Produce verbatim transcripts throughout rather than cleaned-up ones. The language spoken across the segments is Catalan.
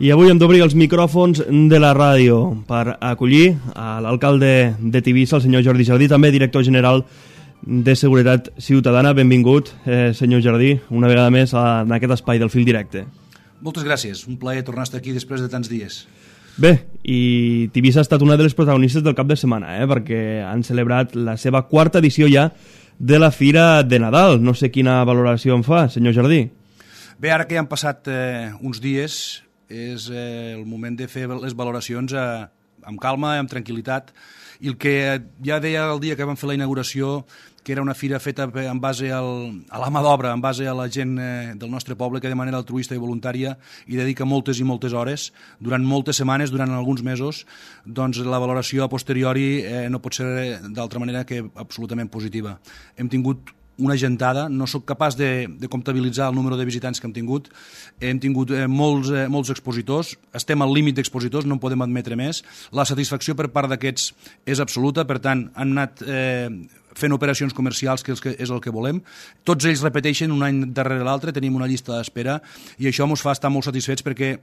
I avui hem d'obrir els micròfons de la ràdio per acollir a l'alcalde de Tivissa, el senyor Jordi Jardí, també director general de Seguretat Ciutadana. Benvingut, eh, senyor Jardí, una vegada més en aquest espai del Fil Directe. Moltes gràcies, un plaer tornar a estar aquí després de tants dies. Bé, i Tivissa ha estat una de les protagonistes del cap de setmana, eh, perquè han celebrat la seva quarta edició ja de la Fira de Nadal. No sé quina valoració en fa, senyor Jardí. Bé, ara que ja han passat eh, uns dies, és eh, el moment de fer les valoracions eh, amb calma, amb tranquil·litat, i el que ja deia el dia que vam fer la inauguració, que era una fira feta en base al, a la mà d'obra, en base a la gent eh, del nostre poble que de manera altruista i voluntària hi dedica moltes i moltes hores, durant moltes setmanes, durant alguns mesos, doncs la valoració a posteriori eh, no pot ser d'altra manera que absolutament positiva. Hem tingut una gentada, no sóc capaç de, de comptabilitzar el número de visitants que hem tingut, hem tingut eh, molts, eh, molts expositors, estem al límit d'expositors, no en podem admetre més, la satisfacció per part d'aquests és absoluta, per tant, han anat eh, fent operacions comercials, que és el que volem, tots ells repeteixen un any darrere l'altre, tenim una llista d'espera, i això ens fa estar molt satisfets perquè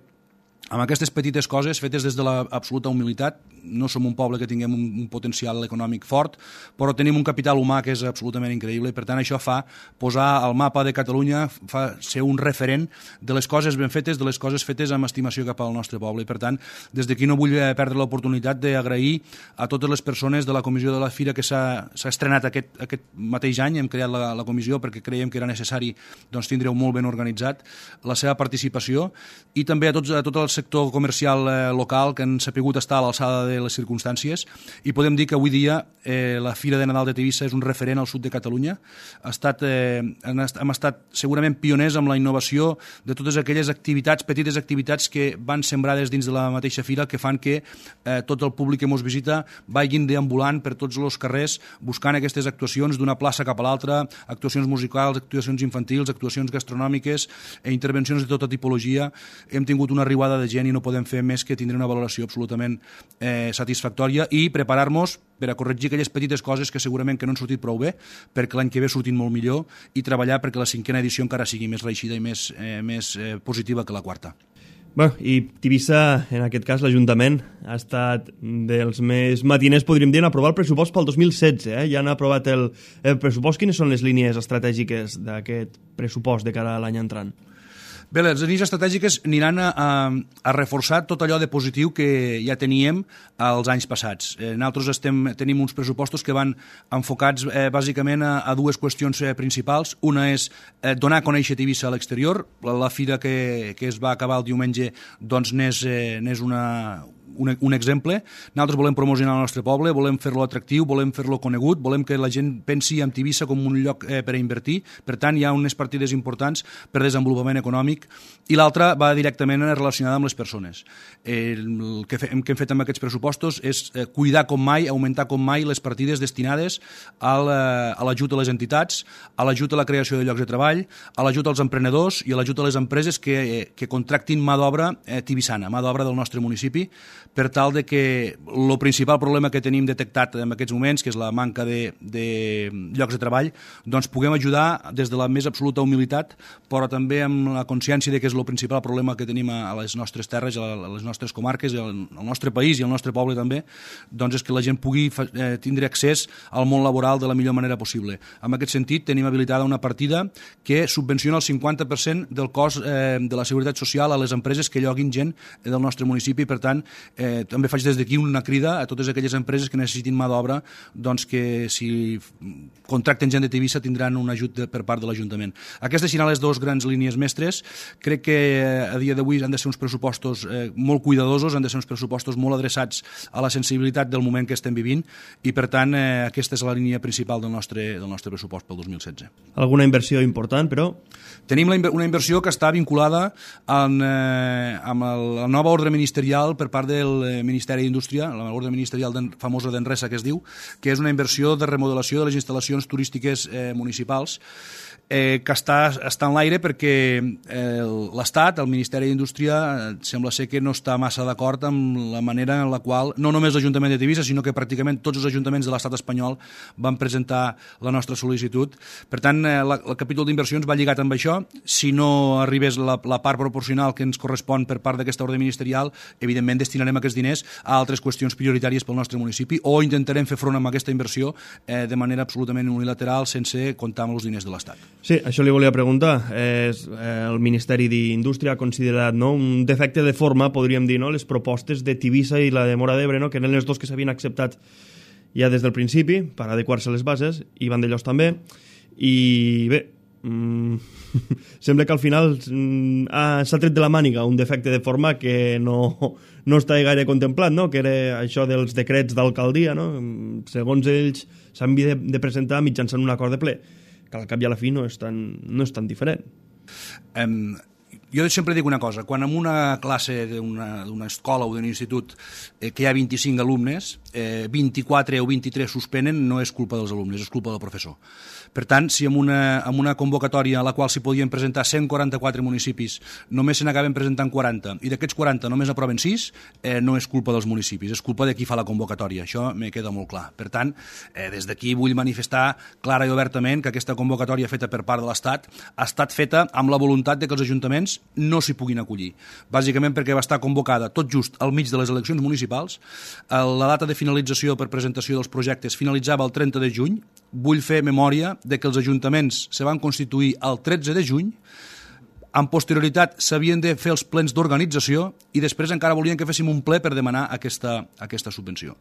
amb aquestes petites coses fetes des de l'absoluta humilitat, no som un poble que tinguem un, un potencial econòmic fort, però tenim un capital humà que és absolutament increïble i per tant això fa posar al mapa de Catalunya, fa ser un referent de les coses ben fetes, de les coses fetes amb estimació cap al nostre poble i per tant des d'aquí no vull perdre l'oportunitat d'agrair a totes les persones de la comissió de la Fira que s'ha estrenat aquest, aquest mateix any, hem creat la, la comissió perquè creiem que era necessari doncs, tindre-ho molt ben organitzat, la seva participació i també a tots a tot el sector comercial eh, local que han sapigut estar a l'alçada de les circumstàncies i podem dir que avui dia eh, la Fira de Nadal de Tivissa és un referent al sud de Catalunya. Ha estat, eh, hem estat segurament pioners amb la innovació de totes aquelles activitats, petites activitats que van sembrades dins de la mateixa fira que fan que eh, tot el públic que ens visita vagin deambulant per tots els carrers buscant aquestes actuacions d'una plaça cap a l'altra, actuacions musicals, actuacions infantils, actuacions gastronòmiques, eh, intervencions de tota tipologia. Hem tingut una riuada de gent i no podem fer més que tindre una valoració absolutament eh, satisfactòria i preparar-nos per a corregir aquelles petites coses que segurament que no han sortit prou bé perquè l'any que ve surtin molt millor i treballar perquè la cinquena edició encara sigui més reeixida i més, eh, més eh, positiva que la quarta. Bé, i Tivissa, en aquest cas l'Ajuntament, ha estat dels més matiners, podríem dir, en aprovar el pressupost pel dos mil setze. Eh? Ja han aprovat el, el pressupost. Quines són les línies estratègiques d'aquest pressupost de cara a l'any entrant? Bé, les línies estratègiques aniran a, a, a reforçar tot allò de positiu que ja teníem els anys passats. Eh, nosaltres estem, tenim uns pressupostos que van enfocats eh, bàsicament a, a dues qüestions eh, principals. Una és eh, donar a conèixer Tivissa a l'exterior. La, la fira que, que es va acabar el diumenge doncs n'és eh, n'és una... Un, un exemple. Nosaltres volem promocionar el nostre poble, volem fer-lo atractiu, volem fer-lo conegut, volem que la gent pensi en Tivissa com un lloc eh, per a invertir. Per tant, hi ha unes partides importants per desenvolupament econòmic i l'altra va directament relacionada amb les persones. Eh, el que, fe, que hem fet amb aquests pressupostos és eh, cuidar com mai, augmentar com mai les partides destinades al, eh, a l'ajut a les entitats, a l'ajut a la creació de llocs de treball, a l'ajut als emprenedors i a l'ajut a les empreses que, eh, que contractin mà d'obra eh, tibissana, mà d'obra del nostre municipi, per tal de que el principal problema que tenim detectat en aquests moments, que és la manca de, de llocs de treball, doncs puguem ajudar des de la més absoluta humilitat, però també amb la consciència de que és el principal problema que tenim a les nostres terres, a les nostres comarques, al nostre país i al nostre poble també, doncs és que la gent pugui eh, tindre accés al món laboral de la millor manera possible. En aquest sentit, tenim habilitada una partida que subvenciona el cinquanta per cent del cost eh, de la Seguretat Social a les empreses que lloguin gent del nostre municipi. Per tant, Eh, també faig des d'aquí una crida a totes aquelles empreses que necessitin mà d'obra, doncs que si contracten gent de Tivissa tindran un ajut de, per part de l'Ajuntament. Aquestes seran les dues grans línies mestres. Crec que a dia d'avui han de ser uns pressupostos eh, molt cuidadosos, han de ser uns pressupostos molt adreçats a la sensibilitat del moment que estem vivint i per tant eh, aquesta és la línia principal del nostre, del nostre pressupost pel dos mil setze. Alguna inversió important, però? Tenim la, una inversió que està vinculada en, eh, amb el, la nova ordre ministerial per part de del Ministeri d'Indústria, l'ordre ministerial famosa d'Enresa que es diu, que és una inversió de remodelació de les instal·lacions turístiques eh, municipals, eh, que està, està en l'aire perquè eh, l'Estat, el Ministeri d'Indústria, eh, sembla ser que no està massa d'acord amb la manera en la qual, no només l'Ajuntament de Tivissa, sinó que pràcticament tots els ajuntaments de l'Estat espanyol van presentar la nostra sol·licitud. Per tant, eh, la, el capítol d'inversions va lligat amb això. Si no arribés la, la part proporcional que ens correspon per part d'aquesta ordre ministerial, evidentment destinarem aquests diners a altres qüestions prioritàries pel nostre municipi o intentarem fer front amb aquesta inversió eh, de manera absolutament unilateral, sense comptar amb els diners de l'Estat. Sí, això li volia preguntar. És, eh, el Ministeri d'Indústria ha considerat, no, un defecte de forma, podríem dir, no, les propostes de Tivissa i la de Móra d'Ebre, no, que eren les dos que s'havien acceptat ja des del principi per adequar-se a les bases, i Vandellòs també, i bé, mm, sembla que al final mm, ah, s'ha tret de la màniga un defecte de forma que no, no està gaire contemplat, no? Que era això dels decrets d'alcaldia, no? Segons ells s'han de, de presentar mitjançant un acord de ple, que al cap i a la fi no és tan, no és tan diferent. Um, jo sempre dic una cosa, quan en una classe d'una escola o d'un institut eh, que hi ha vint-i-cinc alumnes, eh, vint-i-quatre o vint-i-tres suspenen, no és culpa dels alumnes, és culpa del professor. Per tant, si en una, en una convocatòria a la qual s'hi podien presentar cent quaranta-quatre municipis només se n'acaben presentant quaranta i d'aquests quaranta només aproven sis, eh, no és culpa dels municipis, és culpa de qui fa la convocatòria. Això me queda molt clar. Per tant, eh, des d'aquí vull manifestar clara i obertament que aquesta convocatòria feta per part de l'Estat ha estat feta amb la voluntat de que els ajuntaments no s'hi puguin acollir. Bàsicament perquè va estar convocada tot just al mig de les eleccions municipals. La data de finalització per presentació dels projectes finalitzava el trenta de juny. Vull fer memòria de que els ajuntaments se van constituir el tretze de juny, amb posterioritat s'havien de fer els plens d'organització i després encara volien que féssim un ple per demanar aquesta, aquesta subvenció.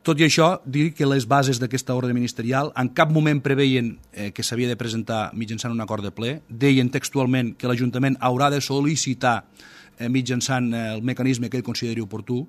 Tot i això, dir que les bases d'aquesta ordre ministerial en cap moment preveien eh, que s'havia de presentar mitjançant un acord de ple, deien textualment que l'Ajuntament haurà de sol·licitar eh, mitjançant eh, el mecanisme que ell consideri oportú,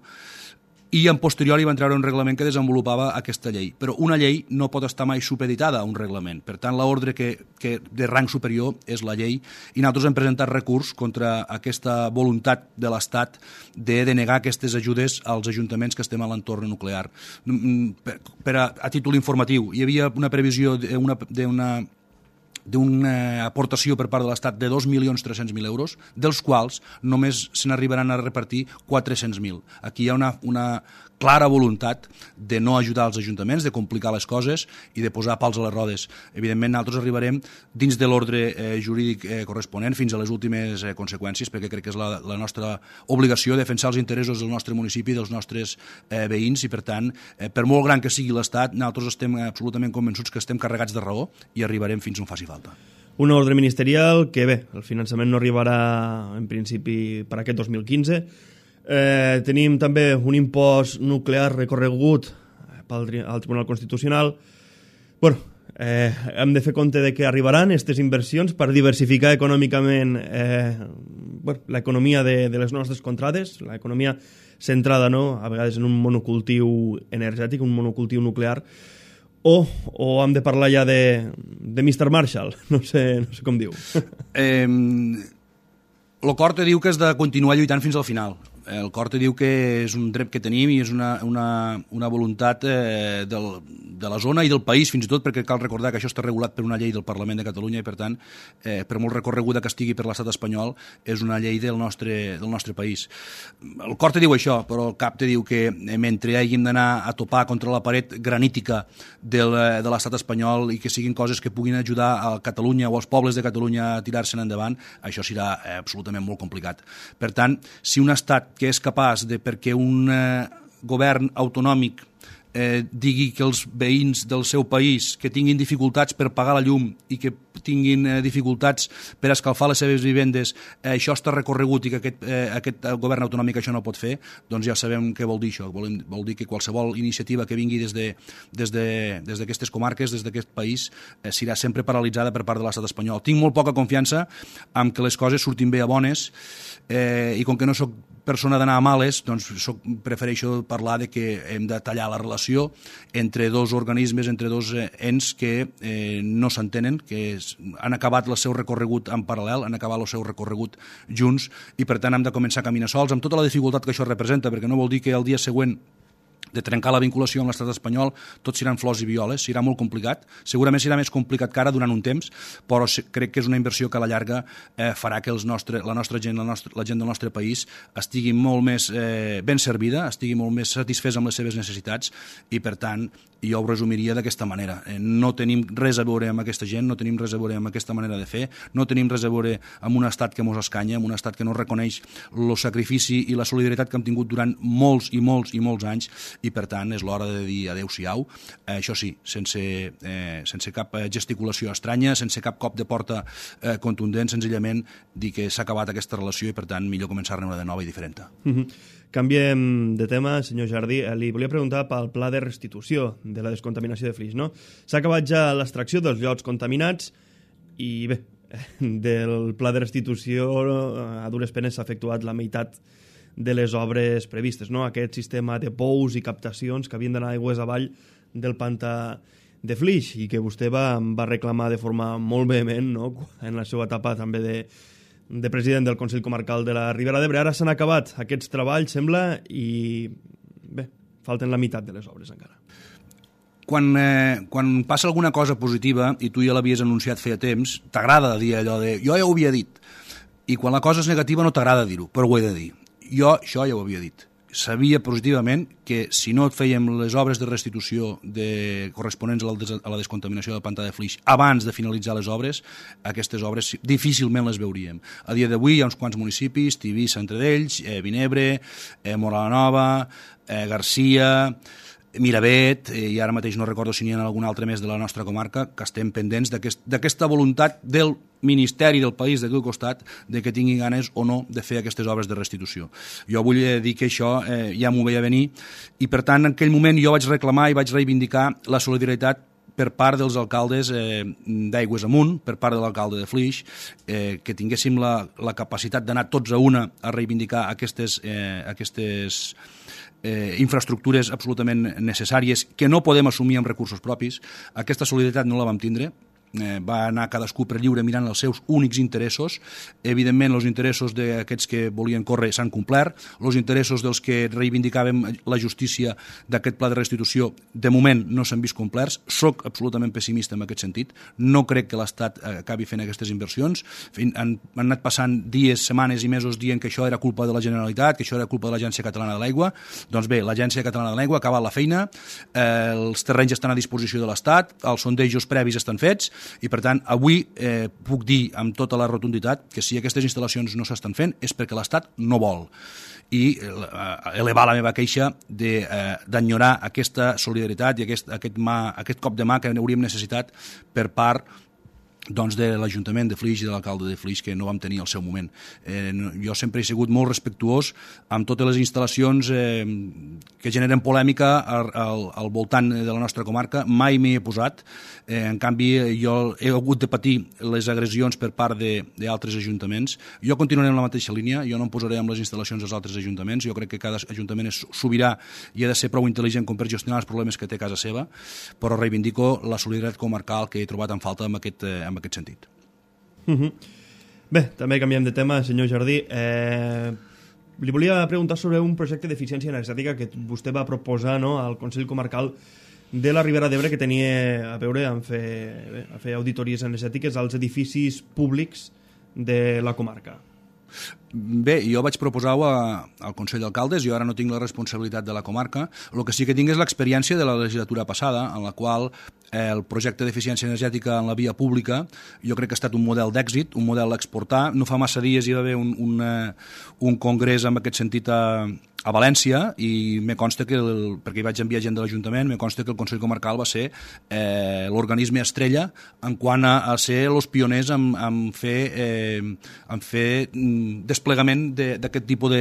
i en posteriori van treure un reglament que desenvolupava aquesta llei. Però una llei no pot estar mai supeditada a un reglament. Per tant, l'ordre que, que de rang superior és la llei, i nosaltres hem presentat recurs contra aquesta voluntat de l'Estat de denegar aquestes ajudes als ajuntaments que estem a l'entorn nuclear. Per, per a, a títol informatiu, hi havia una previsió d'una d'una d'una aportació per part de l'Estat de dos milions tres-cents mil euros, dels quals només se n'arribaran a repartir quatre-cents mil. Aquí hi ha una, una clara voluntat de no ajudar els ajuntaments, de complicar les coses i de posar pals a les rodes. Evidentment, nosaltres arribarem dins de l'ordre eh, jurídic eh, corresponent fins a les últimes eh, conseqüències, perquè crec que és la, la nostra obligació defensar els interessos del nostre municipi i dels nostres eh, veïns, i per tant, eh, per molt gran que sigui l'Estat, nosaltres estem absolutament convençuts que estem carregats de raó i arribarem fins on faci falta. Una ordre ministerial que, bé, el finançament no arribarà en principi per aquest dos mil quinze. Eh, tenim també un impost nuclear recorregut pel, al Tribunal Constitucional. Bueno, eh, hem de fer compte de que arribaran aquestes inversions per diversificar econòmicament eh, bueno, l'economia de, de les nostres contrades, l'economia centrada, no?, a vegades en un monocultiu energètic, un monocultiu nuclear. O, o hem de parlar ja de, de mister Marshall, no sé, no sé com diu. Eh, el cor te diu que has de continuar lluitant fins al final. El cor te diu que és un dret que tenim i és una, una, una voluntat eh, del, de la zona i del país, fins i tot, perquè cal recordar que això està regulat per una llei del Parlament de Catalunya i, per tant, eh, per molt recorreguda que estigui per l'estat espanyol, és una llei del nostre, del nostre país. El cor te diu això, però el cap te diu que eh, mentre hàgim d'anar a topar contra la paret granítica del, de l'estat espanyol i que siguin coses que puguin ajudar a Catalunya o als pobles de Catalunya a tirar-se'n endavant, això serà eh, absolutament molt complicat. Per tant, si un estat que és capaç de, perquè un eh, govern autonòmic eh, digui que els veïns del seu país que tinguin dificultats per pagar la llum i que tinguin eh, dificultats per escalfar les seves vivendes, eh, això està recorregut i que aquest, eh, aquest govern autonòmic això no pot fer, doncs ja sabem què vol dir això. Vol, vol dir que qualsevol iniciativa que vingui des de, des de, des d'aquestes comarques, des d'aquest país, eh, serà sempre paralitzada per part de l'estat espanyol. Tinc molt poca confiança en que les coses surtin bé a bones, eh, i com que no soc persona d'anar a males, doncs soc, prefereixo parlar de que hem de tallar la relació entre dos organismes, entre dos ens que eh, no s'entenen, que és, han acabat el seu recorregut en paral·lel, han acabat el seu recorregut junts, i per tant hem de començar a caminar sols, amb tota la dificultat que això representa, perquè no vol dir que el dia següent de trencar la vinculació amb l'estat espanyol tot seran flors i violes, serà molt complicat, segurament serà més complicat que ara durant un temps, però crec que és una inversió que a la llarga eh, farà que els nostre, la nostra gent, la, nostra, la gent del nostre país estigui molt més eh, ben servida, estigui molt més satisfès amb les seves necessitats, i per tant jo ho resumiria d'aquesta manera. Eh, no tenim res a veure amb aquesta gent, no tenim res a veure amb aquesta manera de fer, no tenim res a veure amb un estat que mos escanya, amb un estat que no reconeix el sacrifici i la solidaritat que hem tingut durant molts i molts i molts anys, i per tant és l'hora de dir adeu-siau, eh, això sí, sense, eh, sense cap gesticulació estranya, sense cap cop de porta eh, contundent, senzillament dir que s'ha acabat aquesta relació i per tant millor començar-ne una de nova i diferent. Mm-hmm. Canviem de tema, senyor Jardí. Li volia preguntar pel pla de restitució de la descontaminació de Flix, no? S'ha acabat ja l'extracció dels llots contaminats i bé, del pla de restitució a dures penes s'ha efectuat la meitat de les obres previstes, no? Aquest sistema de pous i captacions que havien d'anar aigües avall del pantà de Flix i que vostè va, va reclamar de forma molt vehement, no? En la seva etapa també de, de president del Consell Comarcal de la Ribera d'Ebre. Ara s'han acabat aquests treballs, sembla, i bé, falten la meitat de les obres encara. Quan, eh, quan passa alguna cosa positiva, i tu ja l'havies anunciat feia temps, t'agrada dir allò de jo ja ho havia dit, i quan la cosa és negativa no t'agrada dir-ho, però ho he de dir. Jo això ja ho havia dit. Sabia positivament que si no fèiem les obres de restitució de, corresponents a la, des, a la descontaminació del pantà de Flix abans de finalitzar les obres, aquestes obres difícilment les veuríem. A dia d'avui hi ha uns quants municipis, Tivissa entre d'ells, eh, Vinebre, eh, Mora la Nova, eh, Garcia, Miravet, eh, i ara mateix no recordo si n'hi ha algun altre més de la nostra comarca, que estem pendents d'aquesta aquest, voluntat del Ministeri del país d'aquí al costat de que tinguin ganes o no de fer aquestes obres de restitució. Jo vull dir que això eh, ja m'ho veia venir i per tant en aquell moment jo vaig reclamar i vaig reivindicar la solidaritat per part dels alcaldes eh, d'Aigües Amunt, per part de l'alcalde de Flix, eh, que tinguéssim la, la capacitat d'anar tots a una a reivindicar aquestes, eh, aquestes eh, infraestructures absolutament necessàries que no podem assumir amb recursos propis. Aquesta solidaritat no la vam tindre. Eh, va anar cadascú per lliure mirant els seus únics interessos. Evidentment, els interessos d'aquests que volien córrer s'han complert, els interessos dels que reivindicàvem la justícia d'aquest pla de restitució de moment no s'han vist complerts. Soc absolutament pessimista en aquest sentit. No crec que l'Estat acabi fent aquestes inversions. Han, han anat passant dies, setmanes i mesos dient que això era culpa de la Generalitat, que això era culpa de l'Agència Catalana de l'Aigua. Doncs bé, l'Agència Catalana de l'Aigua ha acabat la feina, eh, els terrenys estan a disposició de l'Estat, els sondejos previs estan fets, i per tant avui eh, puc dir amb tota la rotunditat que si aquestes instal·lacions no s'estan fent és perquè l'Estat no vol, i eh, elevar la meva queixa d'enyorar eh, aquesta solidaritat i aquest, aquest, mà, aquest cop de mà que hauríem necessitat per part doncs, de l'Ajuntament de Flix i de l'alcalde de Flix, que no vam tenir al seu moment. Eh, jo sempre he sigut molt respectuós amb totes les instal·lacions eh, que generen polèmica al, al, al voltant de la nostra comarca. Mai m'hi he posat. Eh, en canvi, jo he hagut de patir les agressions per part d'altres ajuntaments. Jo continuaré en la mateixa línia. Jo no em posaré amb les instal·lacions dels altres ajuntaments. Jo crec que cada ajuntament és sobirà i ha de ser prou intel·ligent com per gestionar els problemes que té a casa seva, però reivindico la solidaritat comarcal que he trobat en falta amb aquest, eh, en aquest sentit. Uh-huh. Bé, també canviem de tema, senyor Jardí. Eh, li volia preguntar sobre un projecte d'eficiència energètica que vostè va proposar, no, al Consell Comarcal de la Ribera d'Ebre, que tenia a veure amb fer, bé, a fer auditories energètiques als edificis públics de la comarca. Bé, jo vaig proposar-ho al Consell d'Alcaldes, jo ara no tinc la responsabilitat de la comarca, el que sí que tinc és l'experiència de la legislatura passada, en la qual eh, el projecte d'eficiència energètica en la via pública jo crec que ha estat un model d'èxit, un model a exportar. No fa massa dies hi va haver un, un, un congrés en aquest sentit a, a València i me consta que, el, perquè hi vaig enviar gent de l'Ajuntament, me consta que el Consell Comarcal va ser eh, l'organisme estrella en quant a, a ser els pioners en, en fer, eh, en fer desplegament d'aquest tipus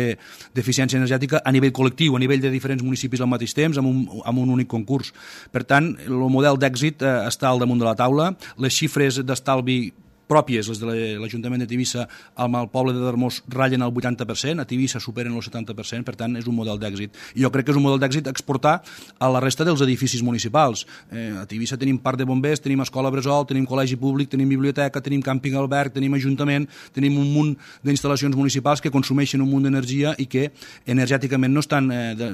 d'eficiència energètica a nivell col·lectiu, a nivell de diferents municipis al mateix temps, amb un, amb un únic concurs. Per tant, el model d'èxit eh, està al damunt de la taula, les xifres d'estalvi pròpies, les de l'Ajuntament de Tivissa, amb el poble de Darmós ratllen el vuitanta per cent, a Tivissa superen el setanta per cent, per tant és un model d'èxit. I jo crec que és un model d'èxit exportar a la resta dels edificis municipals. Eh, a Tivissa tenim parc de bombers, tenim escola bressol, tenim col·legi públic, tenim biblioteca, tenim càmping alberg, tenim ajuntament, tenim un munt d'instal·lacions municipals que consumeixen un munt d'energia i que energèticament no estan... Eh, de,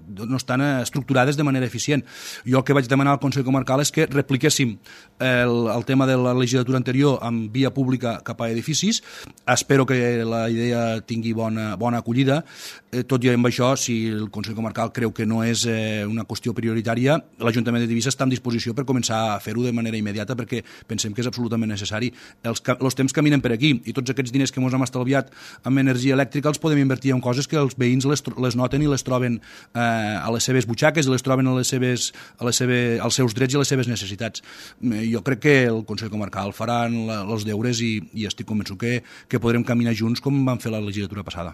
no estan estructurades de manera eficient. Jo el que vaig demanar al Consell Comarcal és que repliquéssim el, el tema de la legislatura anterior amb via pública cap a edificis. Espero que la idea tingui bona, bona acollida. Eh, tot i amb això, si el Consell Comarcal creu que no és eh, una qüestió prioritària, l'Ajuntament de Tivissa està en disposició per començar a fer-ho de manera immediata perquè pensem que és absolutament necessari. Els, els temps caminen per aquí i tots aquests diners que ens hem estalviat amb energia elèctrica els podem invertir en coses que els veïns les, les noten i les troben eh, a les seves butxaques i les troben a les seves, a les seves, als seus drets i a les seves necessitats. Jo crec que el Consell Comarcal faran la, els deures i, i estic convençut que, que podrem caminar junts com vam fer la legislatura passada.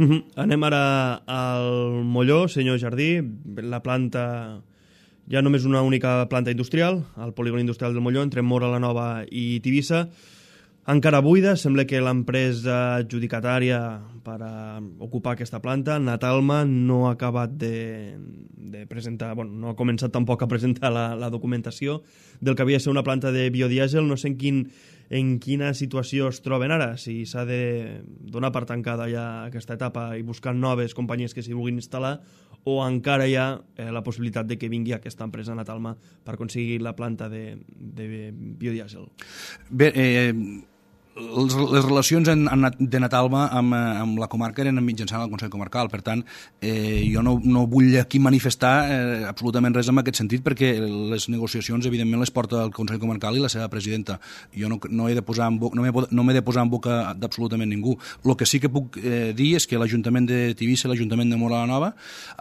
Uh-huh. Anem ara al Molló, senyor Jardí. La planta, ja només una única planta industrial, el polígon industrial del Molló, entre Móra la Nova i Tivissa. Encara buida, sembla que l'empresa adjudicatària per a ocupar aquesta planta, Natalma, no ha acabat de, de presentar, bueno, no ha començat tampoc a presentar la, la documentació del que havia de ser una planta de biodièsel. No sé en, quin, en quina situació es troben ara, si s'ha de donar per tancada ja aquesta etapa i buscar noves companyies que s'hi vulguin instal·lar, o encara hi ha eh, la possibilitat de que vingui aquesta empresa Natalma per aconseguir la planta de, de biodièsel. Bé, eh... Les, les relacions en, en, de Natalma amb, amb la comarca eren mitjançant el Consell Comarcal, per tant eh, jo no, no vull aquí manifestar eh, absolutament res en aquest sentit perquè les negociacions evidentment les porta el Consell Comarcal i la seva presidenta. Jo no, no he de posar en boca, no m'he no m'he de posar en boca d'absolutament ningú. El que sí que puc eh, dir és que l'Ajuntament de Tivissa i l'Ajuntament de Móra la Nova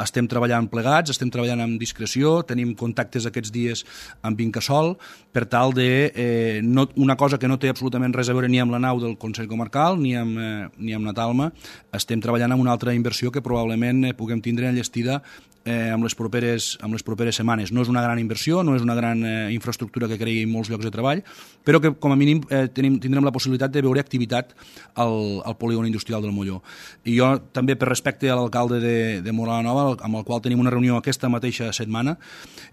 estem treballant plegats, estem treballant amb discreció, tenim contactes aquests dies amb Incasòl per tal de eh, no, una cosa que no té absolutament res a veure ni amb la nau del Consell Comarcal ni amb, eh, ni amb Natalma. Estem treballant en una altra inversió que probablement eh, puguem tindre enllestida eh, amb, les properes, amb les properes setmanes. No és una gran inversió, no és una gran eh, infraestructura que creï molts llocs de treball, però que com a mínim eh, tenim, tindrem la possibilitat de veure activitat al, al polígon industrial del Molló. I jo també, per respecte a l'alcalde de, de Móra la Nova, amb el qual tenim una reunió aquesta mateixa setmana,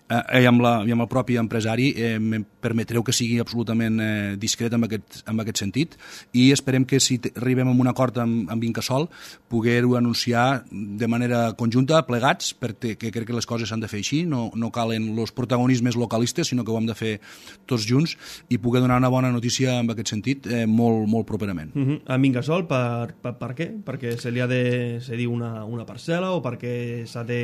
eh, i, amb la, i amb el propi empresari, eh, me permetreu que sigui absolutament eh, discret en aquest, en aquest sentit, i esperem que si arribem a un acord amb, amb Incasòl poder-ho anunciar de manera conjunta, plegats, perquè que crec que les coses s'han de fer així, no, no calen els protagonismes localistes, sinó que ho hem de fer tots junts i poder donar una bona notícia en aquest sentit eh, molt, molt properament. Uh-huh. Amb Incasòl, per, per, per què? Perquè se li ha de cedir una, una parcel·la o perquè s'ha de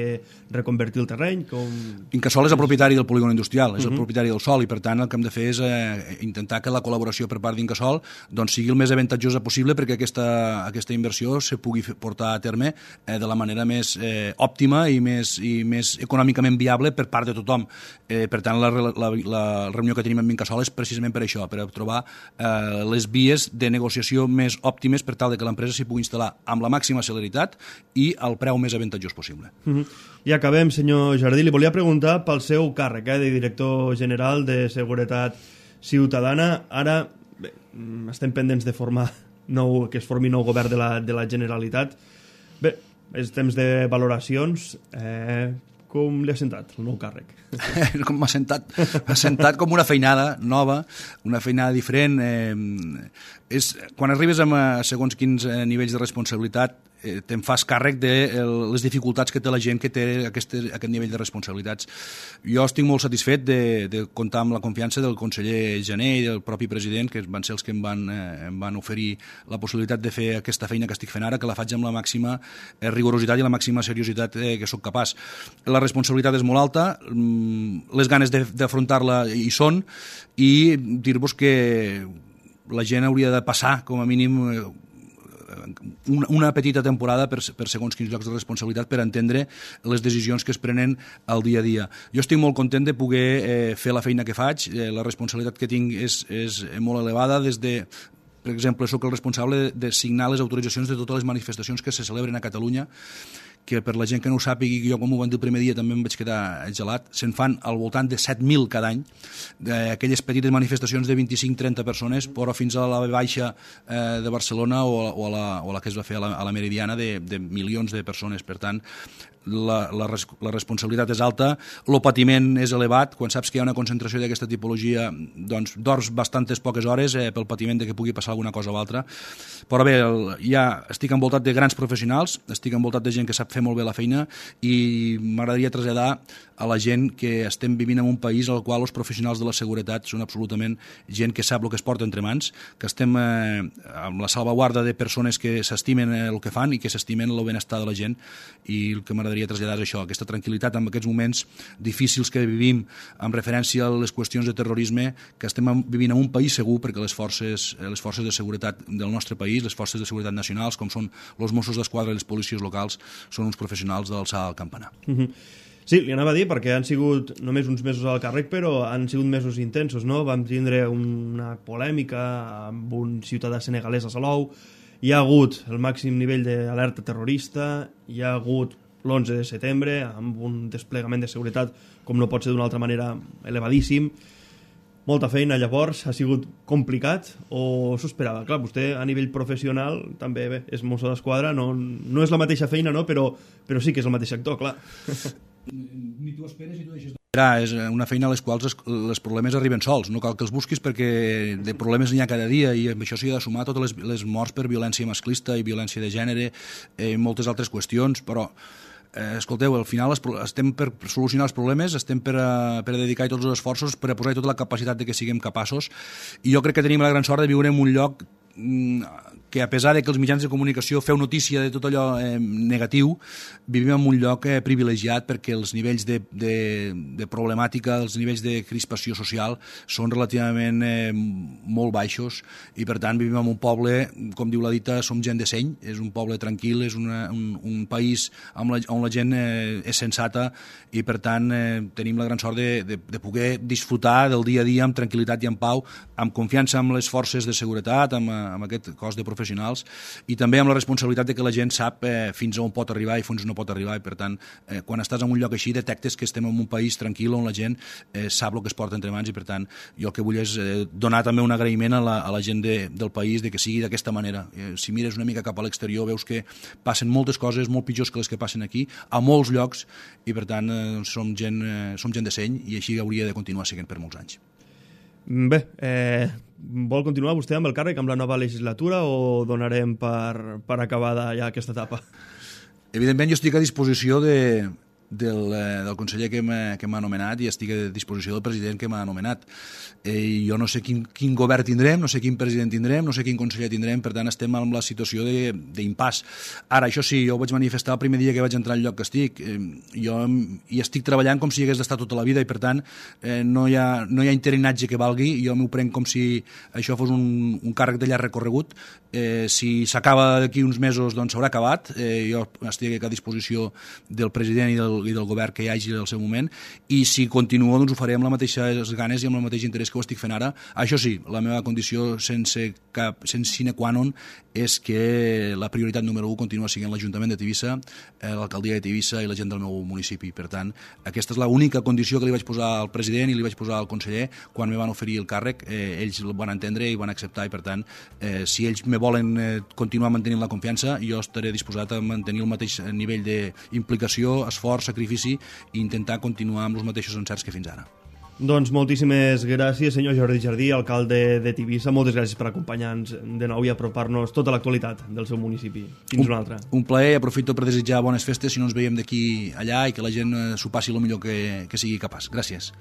reconvertir el terreny? Com... Incasòl és el propietari del polígon industrial, és uh-huh. el propietari del sòl i per tant el que hem de fer és eh, intentar que la col·laboració per part d'Incasòl doncs, sigui el més avantatjosa possible perquè aquesta, aquesta inversió se pugui portar a terme eh, de la manera més eh, òptima i més i més econòmicament viable per part de tothom. Eh, per tant, la, la, la reunió que tenim amb Incasòl és precisament per això, per trobar eh, les vies de negociació més òptimes per tal de que l'empresa s'hi pugui instal·lar amb la màxima celeritat i al preu més avantatjós possible. Uh-huh. I acabem, senyor Jardí. Li volia preguntar pel seu càrrec eh, de director general de Seguretat Ciutadana. Ara bé, estem pendents de formar nou, que es formi nou govern de la, de la Generalitat. Bé, és temps de valoracions. Eh, com li ha sentat el nou càrrec? Com m'ha sentat, m'ha sentat com una feinada nova, una feinada diferent. Eh, és, quan arribes a segons quins nivells de responsabilitat eh, te'n fas càrrec de el, les dificultats que té la gent que té aquest, aquest nivell de responsabilitats. Jo estic molt satisfet de, de comptar amb la confiança del conseller Jané i del propi president, que van ser els que em van, eh, em van oferir la possibilitat de fer aquesta feina que estic fent ara, que la faig amb la màxima eh, rigorositat i la màxima seriositat eh, que sóc capaç. La responsabilitat és molt alta, les ganes d'afrontar-la hi són, i dir-vos que la gent hauria de passar, com a mínim, una petita temporada per, per segons quins llocs de responsabilitat per entendre les decisions que es prenen al dia a dia. Jo estic molt content de poder eh, fer la feina que faig, eh, la responsabilitat que tinc és, és molt elevada, des de per exemple, sóc el responsable de signar les autoritzacions de totes les manifestacions que se celebren a Catalunya, que per la gent que no ho sàpigui, jo com ho van dir el primer dia també em vaig quedar gelat, se'n fan al voltant de set mil cada any, aquelles petites manifestacions de vint-i-cinc a trenta persones, però fins a la baixa eh, de Barcelona o, o, a la, o a la que es va fer a la, a la Meridiana de, de milions de persones. Per tant, la, la, la responsabilitat és alta, el patiment és elevat. Quan saps que hi ha una concentració d'aquesta tipologia, doncs dors bastantes poques hores eh, pel patiment de que pugui passar alguna cosa o altra. Però bé, el, ja estic envoltat de grans professionals, estic envoltat de gent que sap fer molt bé la feina i m'agradaria traslladar a la gent que estem vivint en un país al qual els professionals de la seguretat són absolutament gent que sap el que es porta entre mans, que estem eh, amb la salvaguarda de persones que s'estimen el que fan i que s'estimen el benestar de la gent, i el que m'agradaria traslladar és això, aquesta tranquil·litat en aquests moments difícils que vivim amb referència a les qüestions de terrorisme, que estem vivint en un país segur perquè les forces, les forces de seguretat del nostre país, les forces de seguretat nacionals, com són els Mossos d'Esquadra i les policies locals, són uns professionals d'alçar el campanar. Mm-hmm. Sí, li anava a dir, perquè han sigut només uns mesos al càrrec, però han sigut mesos intensos, no? Vam tindre una polèmica amb un ciutadà senegalès a Salou, hi ha hagut el màxim nivell d'alerta terrorista, hi ha hagut l'onze de setembre, amb un desplegament de seguretat, com no pot ser d'una altra manera, elevadíssim. Molta feina, llavors, ha sigut complicat o s'ho esperava? Clar, vostè a nivell professional també bé, és mosso d'esquadra, no, no és la mateixa feina, no? però, però sí que és el mateix sector, clar. Ni tu esperes ni tu deixes d'esperar. És una feina a les quals els, els problemes arriben sols. No cal que els busquis perquè de problemes n'hi ha cada dia, i amb això s'hi ha de sumar totes les, les morts per violència masclista i violència de gènere i eh, moltes altres qüestions, però eh, escolteu, al final estem per solucionar els problemes, estem per a, per a dedicar tots els esforços, per a posar tota la capacitat de que siguem capaços, i jo crec que tenim la gran sort de viure en un lloc que, a pesar de que els mitjans de comunicació feu notícia de tot allò eh, negatiu, vivim en un lloc eh, privilegiat perquè els nivells de, de, de problemàtica, els nivells de crispació social són relativament eh, molt baixos, i per tant vivim en un poble, com diu la dita, som gent de seny, és un poble tranquil, és una, un, un país on la, on la gent eh, és sensata, i per tant eh, tenim la gran sort de, de, de poder disfrutar del dia a dia amb tranquil·litat i en pau, amb confiança en les forces de seguretat, amb, amb aquest cos de professionals, i també amb la responsabilitat de que la gent sap eh, fins a on pot arribar i fins on no pot arribar, i per tant eh, quan estàs en un lloc així detectes que estem en un país tranquil on la gent eh, sap el que es porta entre mans, i per tant jo el que vull és eh, donar també un agraïment a la, a la gent de, del país de que sigui d'aquesta manera. Eh, si mires una mica cap a l'exterior veus que passen moltes coses molt pitjors que les que passen aquí a molts llocs, i per tant eh, som, gent, eh, som gent de seny, i així hauria de continuar sent per molts anys. Bé, eh, vol continuar vostè amb el càrrec amb la nova legislatura o donarem per, per acabada ja aquesta etapa? Evidentment jo estic a disposició de, del, eh, del conseller que m'ha anomenat, i estic a disposició del president que m'ha anomenat. Eh, jo no sé quin, quin govern tindrem, no sé quin president tindrem, no sé quin conseller tindrem, per tant estem en la situació d'impàs. Ara, això sí, jo ho vaig manifestar el primer dia que vaig entrar al lloc que estic. Eh, jo hi estic treballant com si hi hagués d'estar tota la vida, i per tant eh, no, hi ha, no hi ha interinatge que valgui. Jo m'ho prenc com si això fos un, un càrrec de llarg recorregut. Eh, si s'acaba d'aquí uns mesos, doncs s'haurà acabat. Eh, jo estic a disposició del president i del, i del govern que hi hagi al seu moment, i si continuo doncs ho faré amb les mateixes ganes i amb el mateix interès que ho estic fent ara. Això sí, la meva condició sense cap sense sine qua non és que la prioritat número un continua sent l'Ajuntament de Tivissa, eh, l'alcaldia de Tivissa i la gent del meu municipi. Per tant, aquesta és l'única condició que li vaig posar al president i li vaig posar al conseller quan me van oferir el càrrec. Eh, ells el van entendre i van acceptar, i per tant, eh, si ells me volen eh, continuar mantenint la confiança, jo estaré disposat a mantenir el mateix nivell d'implicació, esforç, sacrifici, i intentar continuar amb els mateixos encerts que fins ara. Doncs moltíssimes gràcies, senyor Jordi Jardí, alcalde de Tivissa. Moltes gràcies per acompanyar-nos de nou i apropar-nos tota l'actualitat del seu municipi. Fins un, una altra. Un plaer, aprofito per desitjar bones festes si no ens veiem d'aquí allà, i que la gent s'ho passi el millor que, que sigui capaç. Gràcies.